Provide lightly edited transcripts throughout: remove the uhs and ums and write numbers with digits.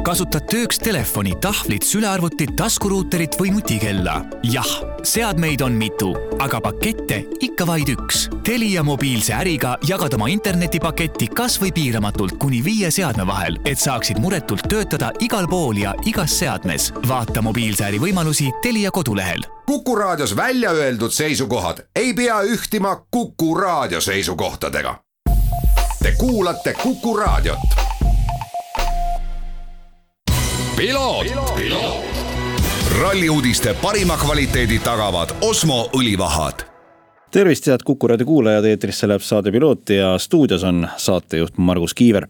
kasutad tööks telefoni, tahvlit, sülearvutit, taskuruuterit või nutikella? Jah, seadmeid on mitu, aga pakette ikka vaid üks. Telia mobiilse äriga jagad oma internetipaketti kas või piiramatult kuni 5 seadme vahel, et saaksid muretult töötada igal pool ja igas seadmes. Vaata mobiilse äri võimalusi Telia kodulehel. Kuku Raadios välja öeldud seisukohad ei pea ühtima Kuku Raadio seisukohtadega. Te kuulate Kuku Raadiot. Piloot. Ralliuudiste parima kvaliteedi tagavad Osmo õlivahad. Tervist, head Kuku Raadio kuulajad, eetrisse läheb saade Piloot ja stuudios on saatejuht Margus Kiiver.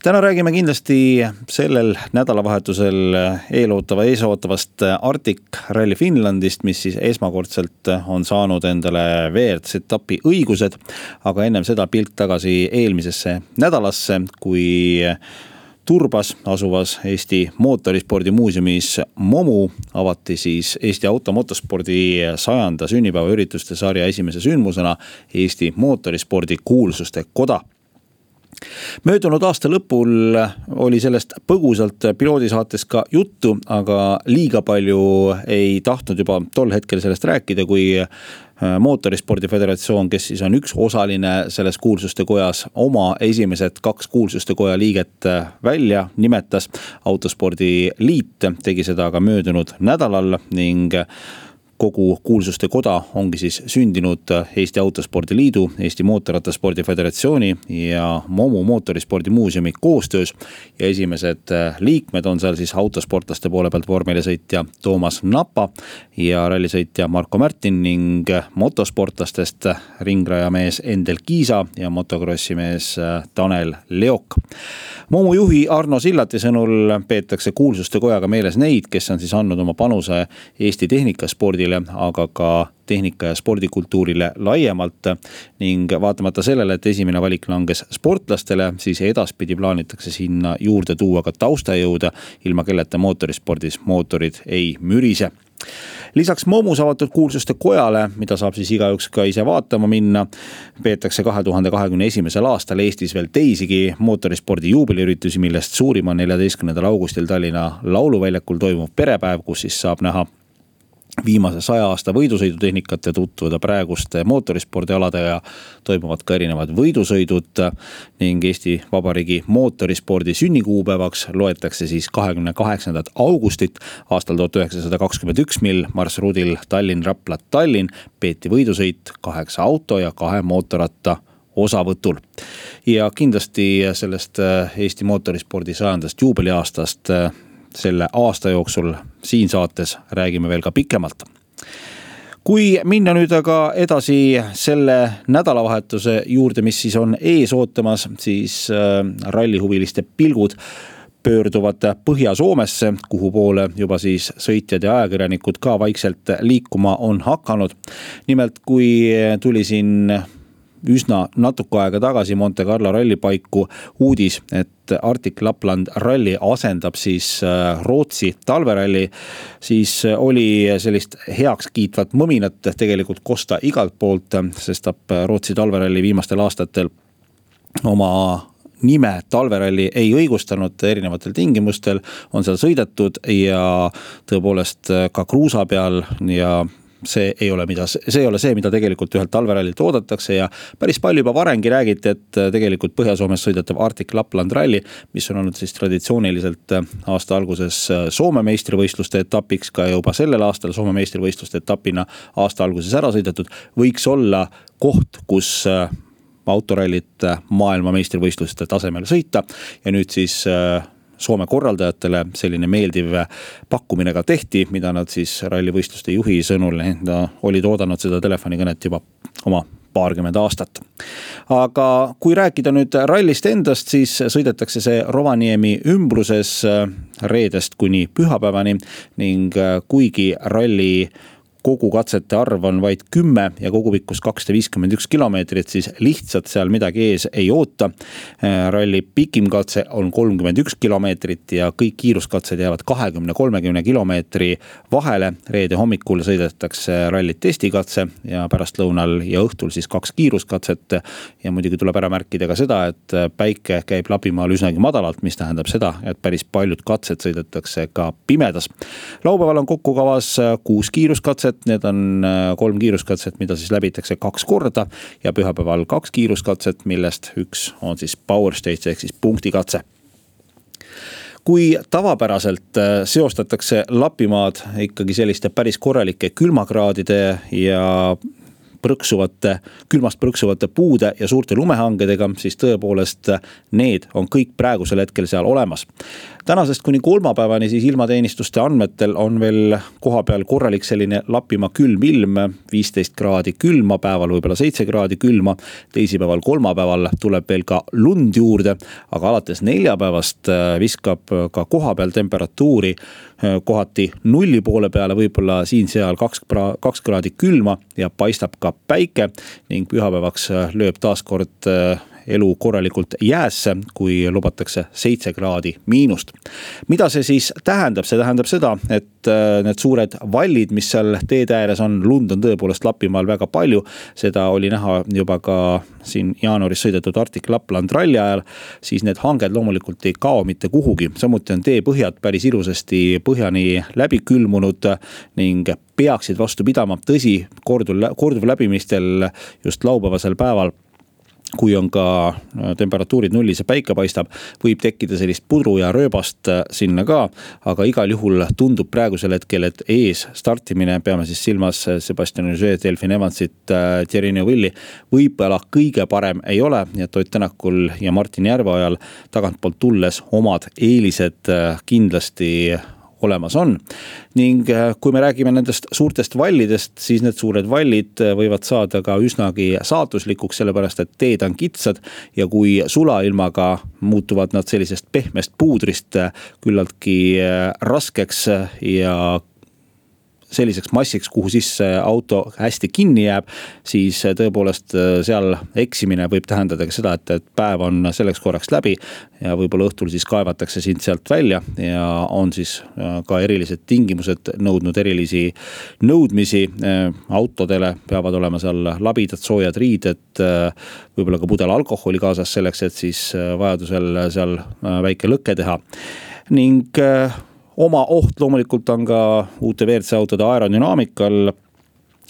Täna räägime kindlasti sellel nädalavahetusel eesootavast Arctic Rally Finlandist, mis siis esmakordselt on saanud endale WRC-etapi õigused, aga ennem seda pilk tagasi eelmisesse nädalasse, kui Turbas asuvas Eesti mootorispordi muuseumis MOMU avati siis Eesti automotospordi 100. sünnipäeva ürituste sarja esimese sündmusena Eesti mootorispordi kuulsuste koda. Möödunud aasta lõpul oli sellest põgusalt piloodisaates ka juttu, aga liiga palju ei tahtnud juba tol hetkel sellest rääkida, kui Mootorispordi Föderatsioon, kes siis on üks osaline selles kuulsuste kojas, oma esimesed 2 kuulsuste koja liiget välja nimetas. Autospordi liit tegi seda aga möödunud nädalal ning kogu kuulsuste koda ongi siis sündinud Eesti Autospordi Liidu, Eesti Mootorrattaspordi Föderatsiooni ja MOMU mootorispordi muuseumi koostöös. Ja esimesed liikmed on seal siis autosportlaste poole pealt vormelisõitja Toomas Napa ja rallisõitja Marko Märtin ning motosportlastest ringrajamees Endel Kiisa ja motokrossimees Tanel Leok. MOMU juhi Arno Sillati sõnul peetakse kuulsuste kojaga meeles neid, kes on siis andnud oma panuse Eesti tehnikaspordile, aga ka tehnika- ja spordikultuurile laiemalt ning vaatamata sellele, et esimene valik langes sportlastele, siis edaspidi plaanitakse sinna juurde tuua ka taustajõude, ilma kelleta mootorispordis mootorid ei mürise. Lisaks MOMUs avatud kuulsuste kojale, mida saab siis igaüks ka ise vaatama minna, peetakse 2021. aastal Eestis veel teisigi mootorispordi juubeliüritusi, millest suurim on 14. augustil Tallinna Lauluväljakul toimuv perepäev, kus siis saab näha viimase 100 aasta võidusõidutehnikat ja tutvuda praeguste mootorispordialade ja toimuvad ka erinevad võidusõidud ning Eesti Vabariigi mootorispordi sünnikuupäevaks loetakse siis 28. augustit aastal 1921, mil marsruudil Tallinn-Rapla-Tallinn peeti võidusõit 8 auto ja 2 mootorratta osavõtul. Ja kindlasti sellest Eesti mootorispordi 100. juubeliaastast selle aasta jooksul siin saates räägime veel ka pikemalt. Kui minna nüüd aga edasi selle nädalavahetuse juurde, mis siis on ees ootamas, siis rallihuviliste pilgud pöörduvad Põhja-Soomesse, kuhu poole juba siis sõitjad ja ajakirjanikud ka vaikselt liikuma on hakanud. Nimelt, kui tuli siin üsna natuke aega tagasi Monte Carlo rallipaiku uudis, et Arctic Lapland ralli asendab siis Rootsi talveralli, siis oli sellist heaks kiitvat mõminat tegelikult kosta igalt poolt, sest Rootsi talveralli viimastel aastatel oma nime talveralli ei õigustanud erinevatel tingimustel, on seal sõidetud ja tõepoolest ka kruusa peal ja see ei ole see, mida tegelikult ühelt talverallilt oodatakse ja päris palju juba varengi räägiti, et tegelikult Põhja-Soomes sõidetav Arctic Lapland ralli, mis on olnud siis traditsiooniliselt aasta alguses Soome meistrivõistluste etapiks, ka juba sellel aastal Soome meistrivõistluste etapina aasta alguses ära sõidetud, võiks olla koht, kus autorallit maailma meistrivõistluste tasemel sõita ja nüüd siis Soome korraldajatele selline meeldiv pakkumine ka tehti, mida nad siis rallivõistluste juhi sõnul olid oodanud seda telefonikõnet juba oma paarkümmend aastat. Aga kui rääkida nüüd rallist endast, siis sõidetakse see Rovaniemi ümbruses reedest kuni pühapäevani ning kuigi ralli kogu katsete arv on vaid 10 ja kogupikkus 251 kilomeetrit, siis lihtsalt seal midagi ees ei oota. Ralli pikim katse on 31 kilomeetrit ja kõik kiiruskatsed jäävad 20-30 kilomeetri vahele. Reede hommikul sõidetakse rallit testikatse ja pärastlõunal ja õhtul siis 2 kiiruskatset. Ja muidugi tuleb ära märkida ka seda, et päike käib Lapimaal üsnagi madalalt, mis tähendab seda, et päris paljud katsed sõidetakse ka pimedas. Laupäeval on kokku kavas 6 kiiruskatset. Need on 3 kiiruskatset, mida siis läbitakse 2 korda ja pühapäeval 2 kiiruskatset, millest üks on siis power stage ehk siis punktikatse. Kui tavapäraselt seostatakse Lapimaad ikkagi selliste päris korralike külmakraadide ja külmast prõksuvate puude ja suurte lumehangedega, siis tõepoolest need on kõik praegusel hetkel seal olemas. Tänasest kuni kolmapäevani siis ilmateenistuste andmetel on veel koha peal korralik selline Lapimaa külm ilm, 15 kraadi külma, päeval võibolla 7 kraadi külma, teisipäeval kolmapäeval tuleb veel ka lund juurde, aga alates neljapäevast viskab ka koha peal temperatuuri kohati 0 poole peale, võibolla siin-seal 2 kraadi külma ja paistab ka päike ning pühapäevaks lööb taaskord elu korralikult jäässe, kui lubatakse 7 kraadi miinust. Mida see siis tähendab? See tähendab seda, et need suured vallid, mis seal teede ääres on, lund on tõepoolest Lapimaal väga palju. Seda oli näha juba ka siin jaanuaris sõidetud Arctic Lapland ralli ajal, siis need hanged loomulikult ei kao mitte kuhugi. Samuti on teepõhjad päris ilusasti põhjani läbi külmunud ning peaksid vastu pidama. Tõsi, korduv läbimistel just laupäevasel päeval, kui on ka temperatuurid nullis ja päike paistab, võib tekkida sellist pudru ja rööbast sinna ka, aga igal juhul tundub praegusel hetkel, et ees startimine, peame siis silmas Sebastian Ogier, Delfin Evansit, Thierry Neuville'i, võib-olla kõige parem ei ole, ja Ott Tänakul ja Martin Järveojal tagantpoolt tulles omad eelised kindlasti olemas on. Ning kui me räägime nendest suurtest vallidest, siis need suured vallid võivad saada ka üsnagi saatuslikuks, sellepärast et teed on kitsad ja kui sulailmaga muutuvad nad sellisest pehmest puudrist küllaltki raskeks ja selliseks massiks, kuhu sisse auto hästi kinni jääb, siis tõepoolest seal eksimine võib tähendada ka seda, et päev on selleks korraks läbi ja võib-olla õhtul siis kaevatakse sind sealt välja ja on siis ka erilised tingimused nõudnud erilisi nõudmisi. Autodele peavad olema seal labidad, soojad riided, võib-olla ka pudel alkoholi kaasas selleks, et siis vajadusel seal väike lõkke teha. Ning oma oht loomulikult on ka uute WRC autode aerodünaamikal,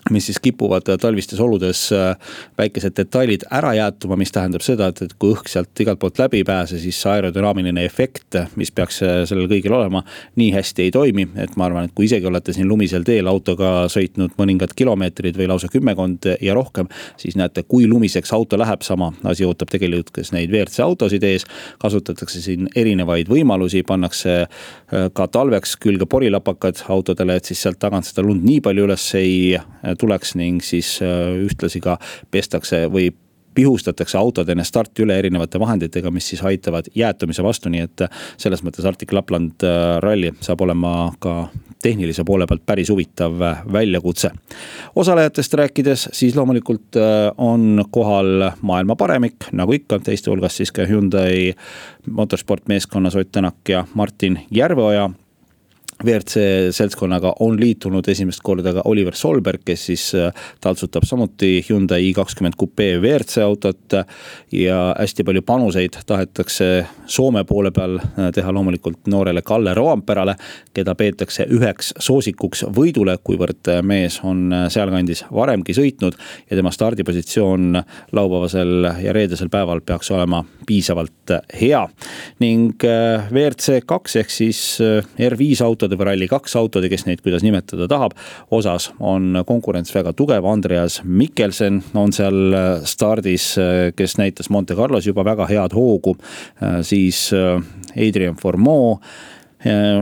mis siis kipuvad talvistes oludes väikesed detailid ära jäätuma, mis tähendab seda, et kui õhk sealt igalt poolt läbi pääse, siis aerodünaamiline efekt, mis peaks sellel kõigil olema, nii hästi ei toimi. Et ma arvan, et kui isegi olete siin lumisel teel autoga sõitnud mõningad kilomeetrid või lausa 10 ja rohkem, siis näete, kui lumiseks auto läheb, sama asi ootab tegelikult kes neid WRC autosid ees. Kasutatakse siin erinevaid võimalusi, pannakse ka talveks külge porilapakad autodele, et siis sealt tagant seda lund nii palju üles ei tuleks ning siis ühtlasi ka pestakse või pihustatakse autod enne starti üle erinevate vahenditega, mis siis aitavad jäätumise vastu, nii et selles mõttes Arctic Lapland ralli saab olema ka tehnilise poole pealt päris huvitav väljakutse. Osalejatest rääkides, siis loomulikult on kohal maailma paremik, nagu ikka, teiste hulgas siis ka Hyundai motorsport meeskonnas Ott Tänak ja Martin Järveoja. WRC seltskonnaga on liitunud esimest korda ka Oliver Solberg, kes siis taltsutab samuti Hyundai i20 Coupé WRC autot ja hästi palju panuseid tahetakse Soome poole peal teha loomulikult noorele Kalle Roamperale, keda peetakse üheks soosikuks võidule, kuivõrd mees on sealkandis varemgi sõitnud ja tema stardipositsioon laupäevasel ja reedesel päeval peaks olema piisavalt hea. Ning WRC 2 ehk siis R5 autod või Rally 2 autod, kes neid kuidas nimetada tahab, osas on konkurents väga tugev. Andreas Mikkelsen on seal stardis, kes näitas Monte Carlos juba väga head hoogu, siis Adrian Fourmaux,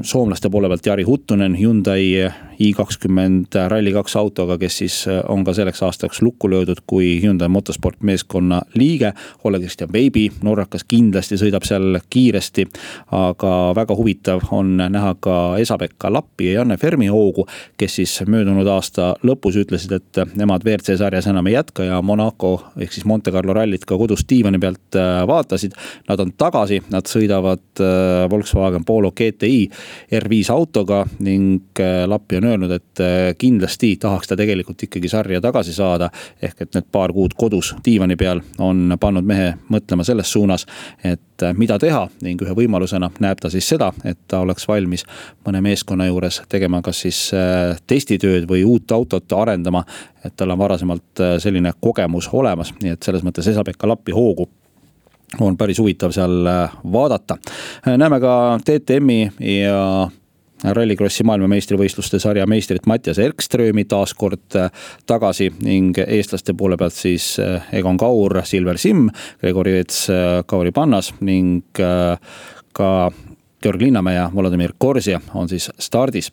soomlaste poole pealt Jari Huttunen Hyundai i20 Rally2 autoga, kes siis on ka selleks aastaks lukku löödud kui Hyundai Motosport meeskonna liige. Oleg-Christian Baby, norrakas kindlasti sõidab seal kiiresti, aga väga huvitav on näha ka Esa-Pekka Lappi ja Janne Fermi hoogu, kes siis möödunud aasta lõpus ütlesid, et nemad WRC sarjas enam ei jätka ja Monaco ehk siis Monte Carlo rallit ka kodus diivani pealt vaatasid. Nad on tagasi, nad sõidavad Volkswagen Polo GTI R5 autoga ning Lappi on öelnud, et kindlasti tahaks ta tegelikult ikkagi sarja tagasi saada, ehk et need paar kuud kodus diivani peal on pannud mehe mõtlema selles suunas, et mida teha ning ühe võimalusena näeb ta siis seda, et ta oleks valmis mõne meeskonna juures tegema kas siis testitööd või uut autot arendama, et tal on varasemalt selline kogemus olemas, nii et selles mõttes Esa-Pekka Lappi hoogu on päris huvitav seal vaadata. Näeme ka DTM-i ja Rallycrossi maailmameistrivõistluste sarja meistrit Mattias Erkströmi taas kord tagasi ning eestlaste poole pealt siis Egon Kaur, Silver Sim, Gregori Vets, Kauri Pannas ning ka Georg Linnamäe ja Volodymyr Korzia on siis stardis.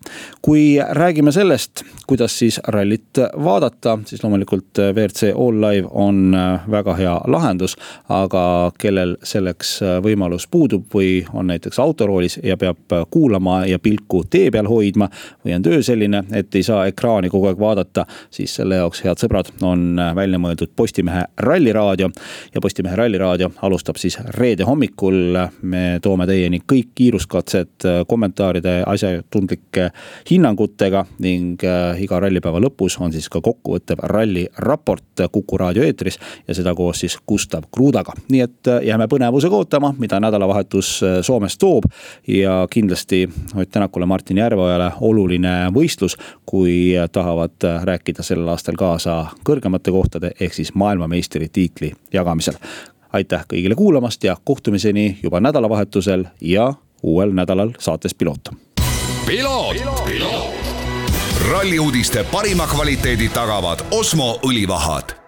Kui räägime sellest, kuidas siis rallit vaadata, siis loomulikult WRC All Live on väga hea lahendus, aga kellel selleks võimalus puudub või on näiteks autoroolis ja peab kuulama ja pilku tee peal hoidma või on töö selline, et ei saa ekraani kogu aeg vaadata, siis selle jaoks, head sõbrad, on välja mõeldud Postimehe ralliraadio ja Postimehe ralliraadio alustab siis reede hommikul. Me toome teieni kõik kiiruskatsed kommentaaride asjatundlike hinnangutega ning iga rallipäeva lõpus on siis ka kokkuvõttev ralliraport Kuku raadio eetris ja seda koos siis Gustav Krudaga. Nii et jääme põnevusega ootama, mida nädalavahetus Soomes toob ja kindlasti Ott Tänakule, Martin Järveojale oluline võistlus, kui tahavad rääkida sellel aastal kaasa kõrgemate kohtade ehk siis maailmameistri tiitli jagamisel. Aitäh kõigile kuulamast ja kohtumiseni juba nädalavahetusel ja uuel nädalal saates Piloot. Ralli uudiste parima kvaliteedi tagavad Osmo õlivahad.